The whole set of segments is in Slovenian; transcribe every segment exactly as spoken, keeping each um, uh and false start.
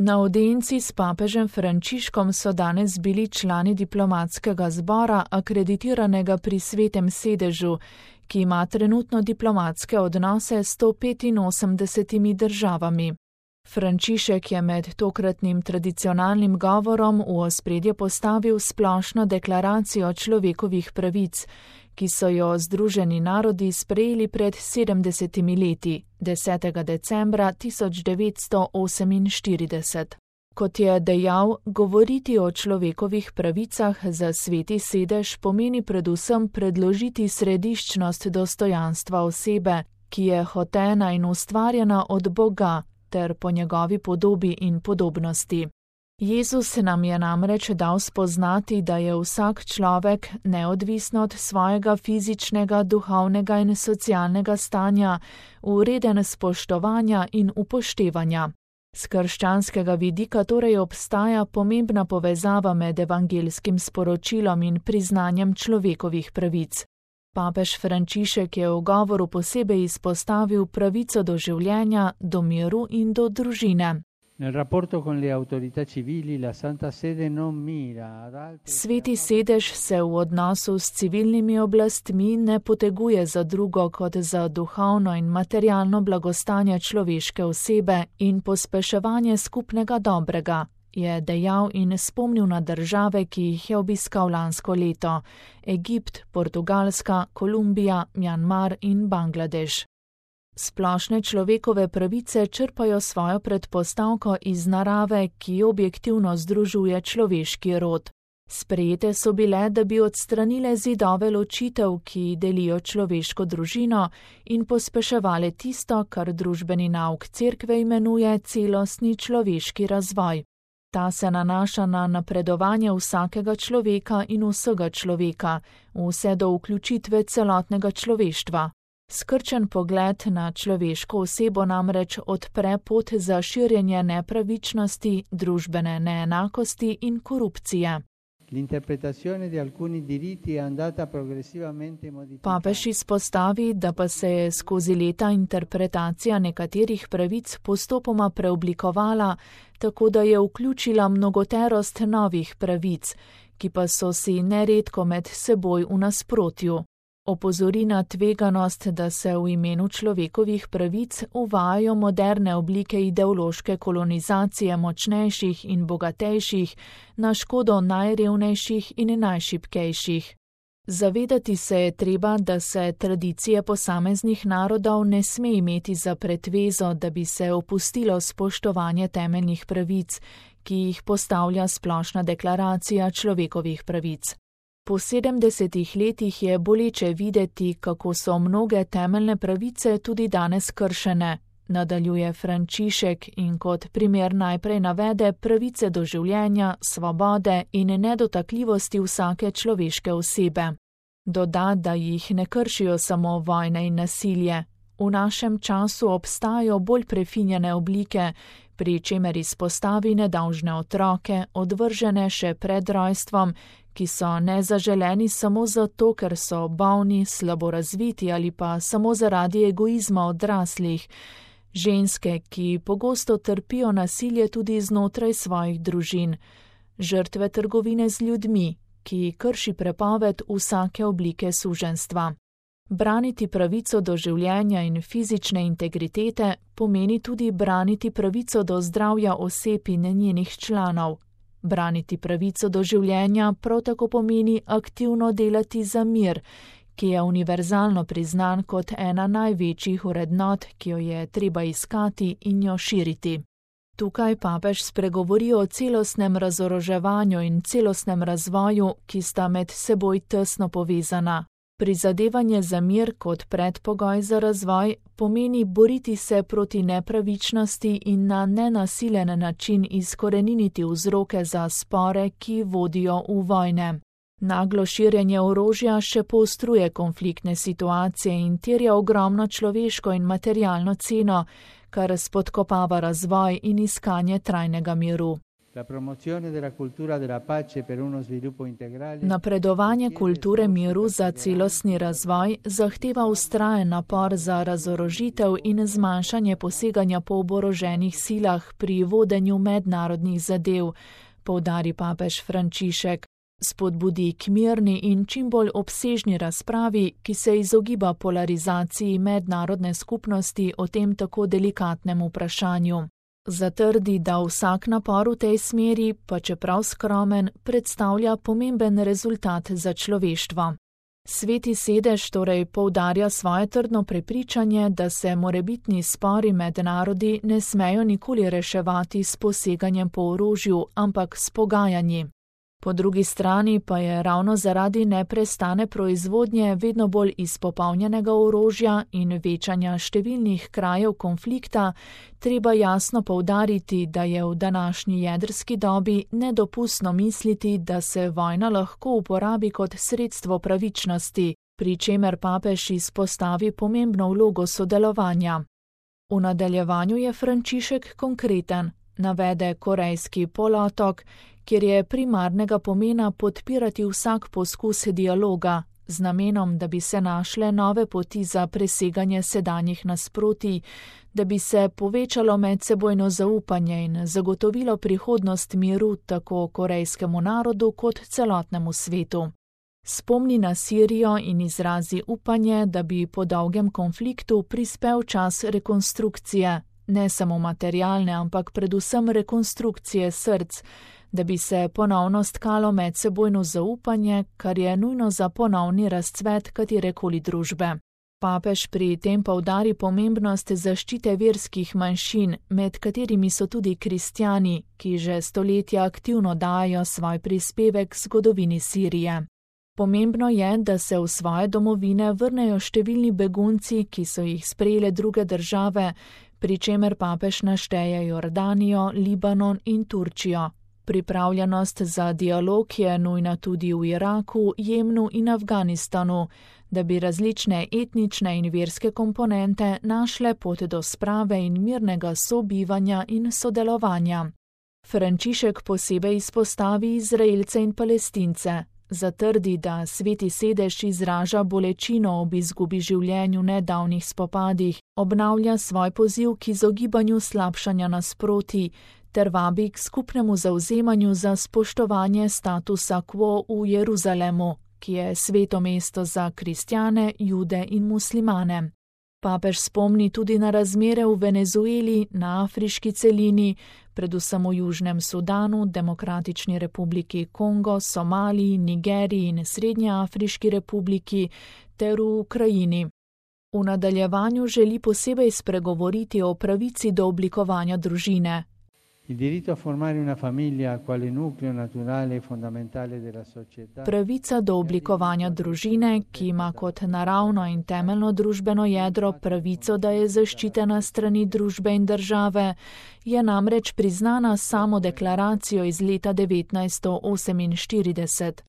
Na audienci s papežem Frančiškom so danes bili člani diplomatskega zbora, akreditiranega pri Svetem sedežu, ki ima trenutno diplomatske odnose s sto petinosemdesetimi državami. Frančišek je med tokratnim tradicionalnim govorom v ospredje postavil splošno deklaracijo človekovih pravic, ki so jo Združeni narodi sprejeli pred sedemdesetimi leti, desetega decembra tisoč devetsto oseminštirideset. Kot je dejal, govoriti o človekovih pravicah za Sveti sedež pomeni predvsem predložiti središčnost dostojanstva osebe, ki je hotena in ustvarjena od Boga, ter po njegovi podobi in podobnosti. Jezus nam je namreč dal spoznati, da je vsak človek, neodvisno od svojega fizičnega, duhovnega in socialnega stanja, vreden spoštovanja in upoštevanja. S krščanskega vidika torej obstaja pomembna povezava med evangelskim sporočilom in priznanjem človekovih pravic. Papež Frančišek je v govoru posebej izpostavil pravico do življenja, do miru in do družine. Sveti sedež se v odnosu s civilnimi oblastmi ne poteguje za drugo kot za duhovno in materialno blagostanje človeške osebe in pospeševanje skupnega dobrega, je dejal in spomnil na države, ki jih je obiskal lansko leto: Egipt, Portugalska, Kolumbija, Mjanmar in Bangladeš. Splošne človekove pravice črpajo svojo predpostavko iz narave, ki objektivno združuje človeški rod. Sprejete so bile, da bi odstranile zidove ločitev, ki delijo človeško družino, in pospeševale tisto, kar družbeni nauk cerkve imenuje celostni človeški razvoj. Ta se nanaša na napredovanje vsakega človeka in vsega človeka, vse do vključitve celotnega človeštva. Skrčen pogled na človeško osebo namreč odpre pot za širjenje nepravičnosti, družbene neenakosti in korupcije. Papež izpostavi, da pa se je skozi leta interpretacija nekaterih pravic postopoma preoblikovala, tako da je vključila mnogoterost novih pravic, ki pa so si neredko med seboj v nasprotju. Opozori na tveganost, da se v imenu človekovih pravic uvajajo moderne oblike ideološke kolonizacije močnejših in bogatejših na škodo najrevnejših in najšibkejših. Zavedati se je treba, da se tradicije posameznih narodov ne sme imeti za pretvezo, da bi se opustilo spoštovanje temeljnih pravic, ki jih postavlja splošna deklaracija človekovih pravic. Po sedemdesetih letih je boleče videti, kako so mnoge temeljne pravice tudi danes kršene, nadaljuje Frančišek in kot primer najprej navede pravice do življenja, svobode in nedotakljivosti vsake človeške osebe. Doda, da jih ne kršijo samo vojne in nasilje. V našem času obstajajo bolj prefinjene oblike, pri čemer izpostavi nedolžne otroke, odvržene še pred rojstvom, ki so nezaželeni samo zato, ker so bolni, slabo razviti ali pa samo zaradi egoizma odraslih, ženske, ki pogosto trpijo nasilje tudi znotraj svojih družin, žrtve trgovine z ljudmi, ki krši prepoved vsake oblike suženjstva. Braniti pravico do življenja in fizične integritete pomeni tudi braniti pravico do zdravja oseb in njenih članov. Braniti pravico do življenja prav tako pomeni aktivno delati za mir, ki je univerzalno priznan kot ena največjih vrednot, ki jo je treba iskati in jo širiti. Tukaj papež spregovori o celostnem razoroževanju in celostnem razvoju, ki sta med seboj tesno povezana. Prizadevanje za mir kot predpogoj za razvoj pomeni boriti se proti nepravičnosti in na nenasilen način izkoreniniti vzroke za spore, ki vodijo v vojne. Naglo širjenje orožja še poostruje konfliktne situacije in terja ogromno človeško in materialno ceno, kar spodkopava razvoj in iskanje trajnega miru. Napredovanje kulture miru za celostni razvoj zahteva vztrajen napor za razorožitev in zmanjšanje poseganja po oboroženih silah pri vodenju mednarodnih zadev, poudari papež Frančišek. Spodbudi k mirni in čim bolj obsežni razpravi, ki se izogiba polarizaciji mednarodne skupnosti o tem tako delikatnem vprašanju. Zatrdi, da vsak napor v tej smeri, pa čeprav skromen, predstavlja pomemben rezultat za človeštvo. Sveti sedež torej poudarja svoje trdno prepričanje, da se morebitni spori med narodi ne smejo nikoli reševati s poseganjem po orožju, ampak s pogajanji. Po drugi strani pa je ravno zaradi neprestane proizvodnje vedno bolj izpopolnjenega orožja in večanja številnih krajev konflikta treba jasno poudariti, da je v današnji jedrski dobi nedopustno misliti, da se vojna lahko uporabi kot sredstvo pravičnosti, pri čemer papež izpostavi pomembno vlogo sodelovanja. V nadaljevanju je Frančišek konkreten, navede Korejski polotok, kjer je primarnega pomena podpirati vsak poskus dialoga, z namenom, da bi se našle nove poti za preseganje sedanjih nasprotij, da bi se povečalo medsebojno zaupanje in zagotovilo prihodnost miru tako korejskemu narodu kot celotnemu svetu. Spomni na Sirijo in izrazi upanje, da bi po dolgem konfliktu prispel čas rekonstrukcije, ne samo materialne, ampak predvsem rekonstrukcije src, da bi se ponovno stkalo medsebojno zaupanje, kar je nujno za ponovni razcvet katerekoli družbe. Papež pri tem poudari pomembnost zaščite verskih manjšin, med katerimi so tudi kristjani, ki že stoletja aktivno dajo svoj prispevek zgodovini Sirije. Pomembno je, da se v svoje domovine vrnejo številni begunci, ki so jih sprejele druge države, pri čemer papež našteje Jordanijo, Libanon in Turčijo. Pripravljenost za dialog je nujna tudi v Iraku, Jemnu in Afganistanu, da bi različne etnične in verske komponente našle pot do sprave in mirnega sobivanja in sodelovanja. Frančišek posebej izpostavi Izraelce in Palestince. Zatrdi, da Sveti sedež izraža bolečino ob izgubi življenju v nedavnih spopadih, obnavlja svoj poziv k izogibanju slabšanja nasprotij ter vabi k skupnemu zavzemanju za spoštovanje statusa quo v Jeruzalemu, ki je sveto mesto za kristjane, jude in muslimane. Papež spomni tudi na razmere v Venezueli, na afriški celini, predvsem v Južnem Sudanu, Demokratični republiki Kongo, Somaliji, Nigeriji in Srednjeafriški republiki ter v Ukrajini. V nadaljevanju želi posebej spregovoriti o pravici do oblikovanja družine. Pravica do oblikovanja družine, ki ima kot naravno in temeljno družbeno jedro pravico, da je zaščitena strani družbe in države, je namreč priznana samo deklaracijo iz leta devetnajststo oseminštirideset.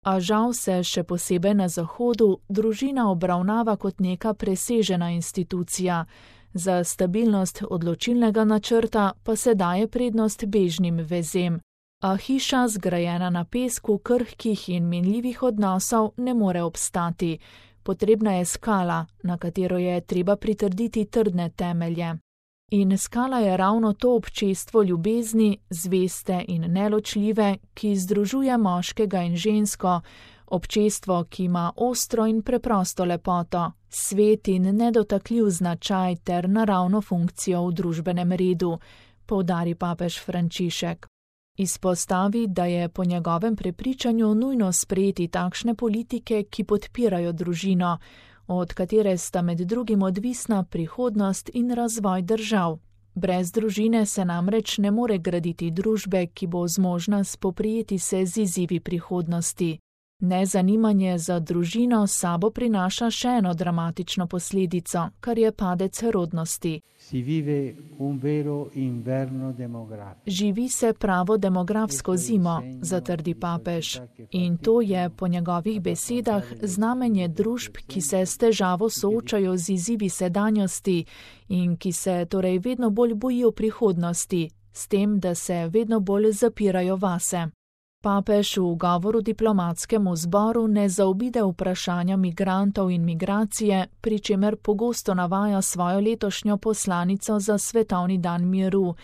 A žal se še posebej na Zahodu družina obravnava kot neka presežena institucija. Za stabilnost odločilnega načrta pa se daje prednost bežnim vezem. A hiša, zgrajena na pesku krhkih in minljivih odnosov, ne more obstati. Potrebna je skala, na katero je treba pritrditi trdne temelje. In skala je ravno to občestvo ljubezni, zveste in neločljive, ki združuje moškega in žensko, občestvo, ki ima ostro in preprosto lepoto, svet in nedotakljiv značaj ter naravno funkcijo v družbenem redu, poudari papež Frančišek. Izpostavi, da je po njegovem prepričanju nujno sprejeti takšne politike, ki podpirajo družino, od katere sta med drugim odvisna prihodnost in razvoj držav. Brez družine se namreč ne more graditi družbe, ki bo zmožna spoprijeti se z izzivi prihodnosti. Nezanimanje za družino s sabo prinaša še eno dramatično posledico, kar je padec rodnosti. Živi se pravo demografsko zimo, zatrdi papež, in to je po njegovih besedah znamenje družb, ki se s težavo soočajo z izzivi sedanjosti in ki se torej vedno bolj bojijo prihodnosti, s tem, da se vedno bolj zapirajo vase. Papež v govoru diplomatskemu zboru ne zaobide vprašanja migrantov in migracije, pri čemer pogosto navaja svojo letošnjo poslanico za svetovni dan miru,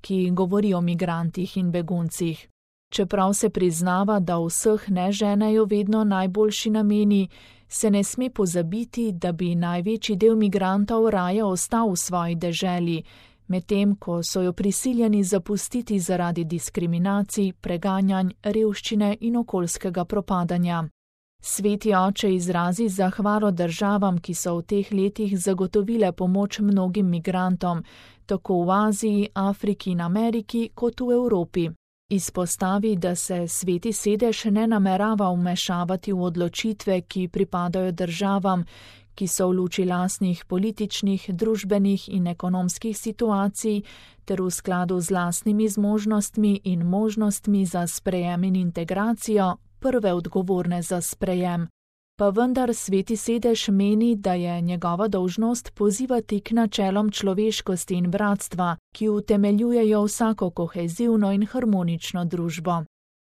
ki govori o migrantih in beguncih. Čeprav se priznava, da vseh ne ženejo vedno najboljši nameni, se ne sme pozabiti, da bi največji del migrantov raje ostal v svoji deželi, medtem ko so jo prisiljeni zapustiti zaradi diskriminacij, preganjanj, revščine in okoljskega propadanja. Sveti oče izrazi zahvalo državam, ki so v teh letih zagotovile pomoč mnogim migrantom, tako v Aziji, Afriki in Ameriki kot v Evropi. Izpostavi, da se Sveti sedež ne namerava vmešavati v odločitve, ki pripadajo državam, ki so v luči lastnih političnih, družbenih in ekonomskih situacij ter v skladu z lastnimi zmožnostmi in možnostmi za sprejem in integracijo prve odgovorne za sprejem. Pa vendar Sveti sedež meni, da je njegova dolžnost pozivati k načelom človeškosti in bratstva, ki utemeljujejo vsako kohezivno in harmonično družbo.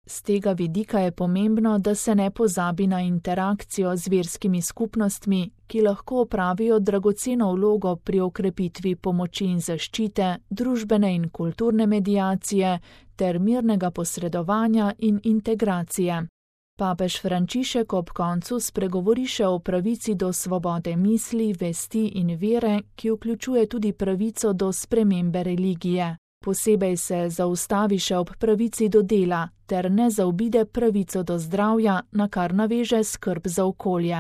Z tega vidika je pomembno, da se ne pozabi na interakcijo z verskimi skupnostmi, ki lahko opravijo dragoceno vlogo pri okrepitvi pomoči in zaščite, družbene in kulturne mediacije ter mirnega posredovanja in integracije. Papež Frančišek ob koncu spregovori še o pravici do svobode misli, vesti in vere, ki vključuje tudi pravico do spremembe religije. Posebej se zaustavi še ob pravici do dela ter ne zaobide pravico do zdravja, na kar naveže skrb za okolje.